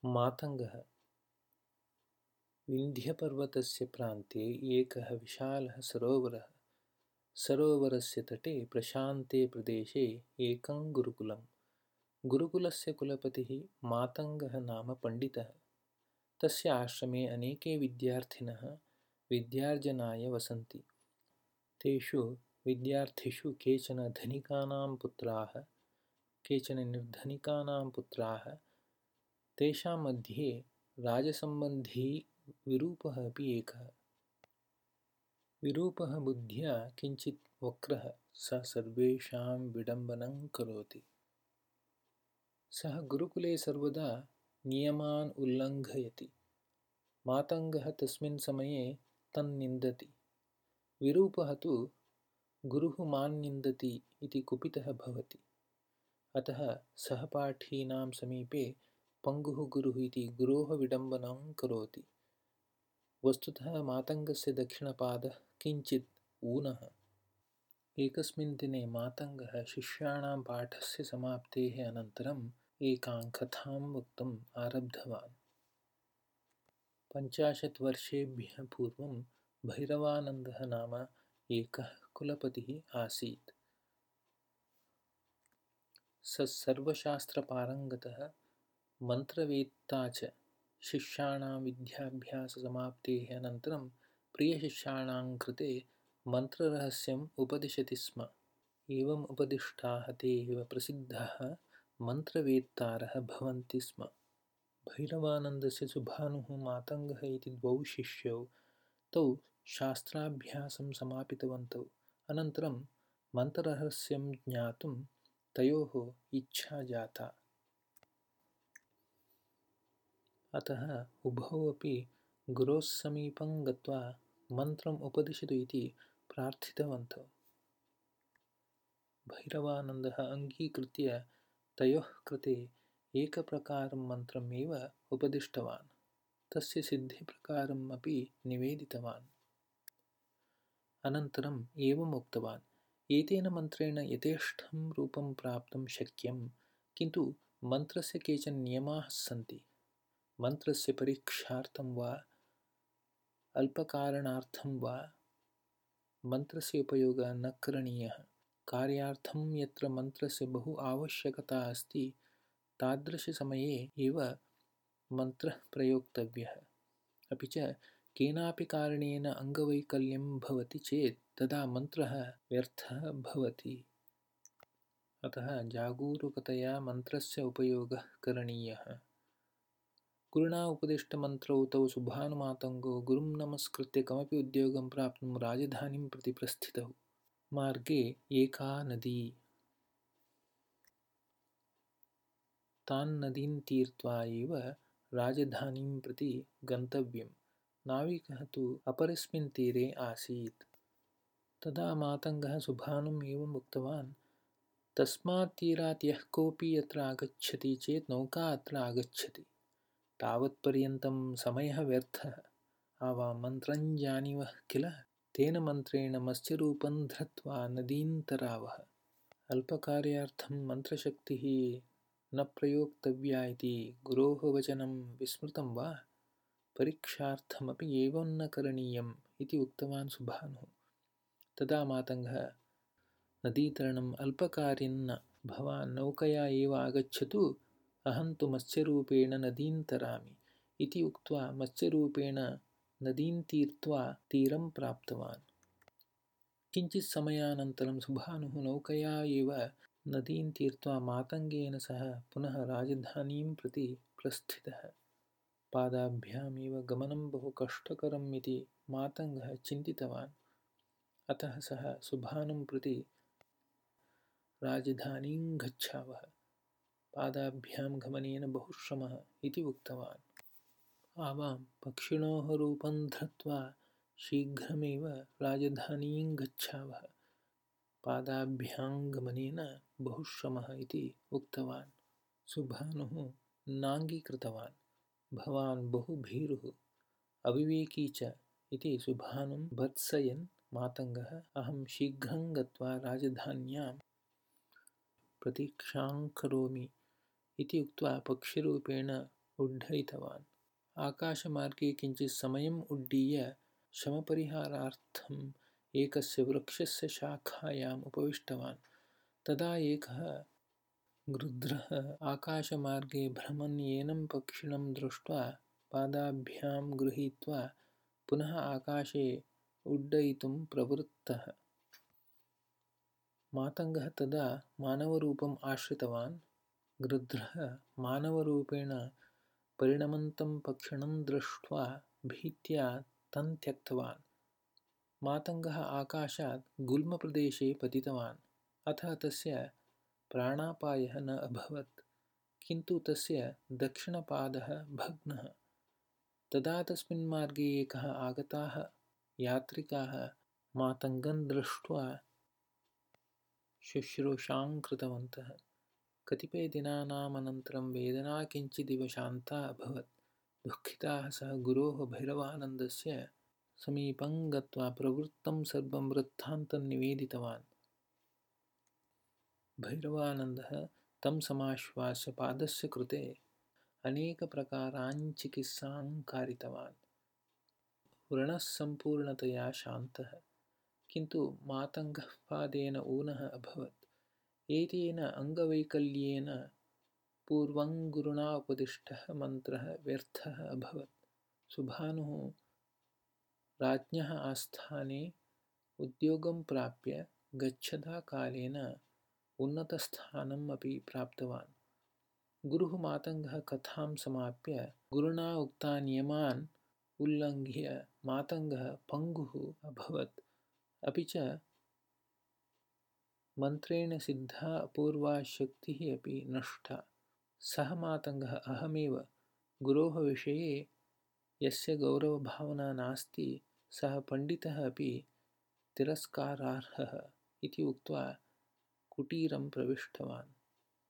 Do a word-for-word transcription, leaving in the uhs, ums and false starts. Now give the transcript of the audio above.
मातङ्गः विन्ध्यपर्वतस्य प्रान्ते एकः विशालः सरोवरः। सरोवरस्य तटे प्रशान्ते प्रदेशे एकं गुरुकुलम्। गुरुकुलस्य कुलपतिः मातङ्गः नाम पण्डितः। तस्य आश्रमे अनेके विद्यार्थिनः विद्यार्जनाय वसन्ति। तेषु विद्यार्थिषु केचन धनिकानां पुत्राः, केचन निर्धनिकानां पुत्राः। तेषां मध्ये राजसम्बन्धी विरूपः अपि एकः। विरूपः बुद्ध्या किञ्चित् वक्रः। सः सर्वेषां विडम्बनं करोति। सः गुरुकुले सर्वदा नियमान् उल्लङ्घयति। मातङ्गः तस्मिन् समये तन्निन्दति। विरूपः तु गुरुः मां निन्दति इति कुपितः भवति। अतः सहपाठीनां समीपे पङ्गुः गुरुः इति गुरोः विडम्बनं करोति। वस्तुतः मातङ्गस्य दक्षिणपादः किञ्चित् ऊनः। एकस्मिन् दिने मातङ्गः शिष्याणां पाठस्य समाप्तेः अनन्तरम् एकां कथां वक्तुम् आरब्धवान्। पञ्चाशत् वर्षेभ्यः पूर्वं भैरवानन्दः नाम एकः कुलपतिः आसीत्। सः सर्वशास्त्रपारङ्गतः, मन्त्रवेत्ता च। शिष्याणां विद्याभ्याससमाप्तेः अनन्तरं प्रियशिष्याणां कृते मन्त्ररहस्यम् उपदिशति स्म। एवम् उपदिष्टाः ते एव प्रसिद्धाः मन्त्रवेत्तारः भवन्ति स्म। भैरवानन्दस्य सुभानुः मातङ्गः इति द्वौ शिष्यौ तौ शास्त्राभ्यासं समापितवन्तौ। अनन्तरं मन्त्ररहस्यं ज्ञातुं तयोः इच्छा जाता। अतः उभौ अपि गुरोः समीपं गत्वा मन्त्रम् उपदिशतु इति प्रार्थितवन्तौ। भैरवानन्दः अङ्गीकृत्य तयोः कृते एकप्रकारं मन्त्रम् एव उपदिष्टवान्। तस्य सिद्धिप्रकारम् अपि निवेदितवान्। अनन्तरम् एवम् उक्तवान्, एतेन मन्त्रेण यथेष्टं रूपं प्राप्तुं शक्यं, किन्तु मन्त्रस्य केचन नियमाः सन्ति। मन्त्रस्य परीक्षार्थं वा अल्पकारणार्थं वा मन्त्रस्य उपयोगः न करणीयः। कार्यार्थं यत्र मन्त्रस्य बहु आवश्यकता अस्ति तादृशसमये एव मन्त्रः प्रयोक्तव्यः। अपि च केनापि कारणेन अङ्गवैकल्यं भवति चेत् तदा मन्त्रः व्यर्थः भवति। अतः जागरूकतया मन्त्रस्य उपयोगः करणीयः। गुरुणा उपदिष्टमन्त्रौ तौ सुभानुमातङ्गौ गुरुं नमस्कृत्य कमपि उद्योगं प्राप्तुं राजधानीं प्रति प्रस्थितौ। मार्गे एका नदी। तान् नदीं तीर्त्वा एव राजधानीं प्रति गन्तव्यं। नाविकः तु अपरस्मिन् तीरे आसीत्। तदा मातङ्गः सुभानुम् एवम् उक्तवान्, तस्मात् तीरात् यः कोऽपि अत्र आगच्छति चेत् नौका अत्र आगच्छति। तावत्पर्यन्तं समयः व्यर्थः। आवां मन्त्रं जानीवः किल? तेन मन्त्रेण मत्स्यरूपं धृत्वा नदीं तरावः। अल्पकार्यार्थं मन्त्रशक्तिः न प्रयोक्तव्या इति गुरोः वचनं विस्मृतं वा? परीक्षार्थमपि एवं न करणीयम् इति उक्तवान् सुभानुः। तदा मातङ्गः, नदीतरणम् अल्पकार्यं न। भवान् नौकया एव आगच्छतु, अहं तु मत्स्यरूपेण नदीं तरामि इति उक्त्वा मत्स्यरूपेण नदीं तीर्त्वा तीरं प्राप्तवान्। किञ्चित् समयानन्तरं सुभानुः नौकया एव नदीं तीर्त्वा मातङ्गेन सह पुनः राजधानीं प्रति प्रस्थितः। पादाभ्याम् एव गमनं बहु कष्टकरम् इति मातङ्गः चिन्तितवान्। अतः सः सुभानुं प्रति, राजधानीं गच्छावः, पादाभ्यां गमनेन बहु श्रमः इति उक्तवान्। आवां पक्षिणोः रूपं धृत्वा शीघ्रमेव राजधानीं गच्छावः, पादाभ्यां गमनेन बहु श्रमः इति उक्तवान्। सुभानुः नाङ्गीकृतवान्। भवान् बहु भीरुः, अविवेकी च इति सुभानुं भर्त्सयन् मातङ्गः, अहं शीघ्रं गत्वा राजधान्यां प्रतीक्षां करोमि इति उक्त्वा पक्षिरूपेण उड्डयितवान्। आकाशमार्गे किञ्चित् समयम् उड्डीय श्रमपरिहारार्थम् एकस्य वृक्षस्य शाखायाम् उपविष्टवान्। तदा एकः गृध्रः आकाशमार्गे भ्रमन् एनं पक्षिणं दृष्ट्वा पादाभ्यां गृहीत्वा पुनः आकाशे उड्डयितुं प्रवृत्तः। मातङ्गः तदा मानवरूपम् आश्रितवान्। गृध्रः मानवरूपेण परिणमन्तं पक्षिणं दृष्ट्वा भीत्या तं त्यक्तवान्। मातङ्गः आकाशात् गुल्मप्रदेशे पतितवान्। अतः तस्य प्राणापायः न अभवत्, किन्तु तस्य दक्षिणपादः भग्नः। तदा तस्मिन् मार्गे एकः आगताः यात्रिकाः मातङ्गं दृष्ट्वा शुश्रूषां कृतवन्तः। कतिपयदिनानामनन्तरं वेदना किञ्चिदिव शान्ता अभवत्। दुःखिताः सः गुरोः भैरवानन्दस्य समीपं गत्वा प्रवृत्तं सर्वं वृत्तान्तं निवेदितवान्। भैरवानन्दः तं समाश्वास्य पादस्य कृते अनेकप्रकारान् चिकित्सां कारितवान्। व्रणः सम्पूर्णतया शान्तः, किन्तु मातङ्गः पादेन ऊनः अभवत्। एतेन अङ्गवैकल्येन पूर्वं गुरुणा उपदिष्टः मन्त्रः व्यर्थः अभवत्। सुभानुः राज्ञः आस्थाने उद्योगं प्राप्य गच्छता कालेन उन्नतस्थानम् अपि प्राप्तवान्। गुरुः मातङ्गः कथां समाप्य गुरुणा उक्तान् नियमान् उल्लङ्घ्य मातङ्गः पङ्गुः अभवत्, अपि च मन्त्रेण सिद्धा अपूर्वा शक्तिः अपि नष्टा। सः मातङ्गः अहमेव गुरोः विषये यस्य गौरवभावना नास्ति, सः पण्डितः अपि तिरस्कारार्हः इति उक्त्वा कुटीरं प्रविष्टवान्।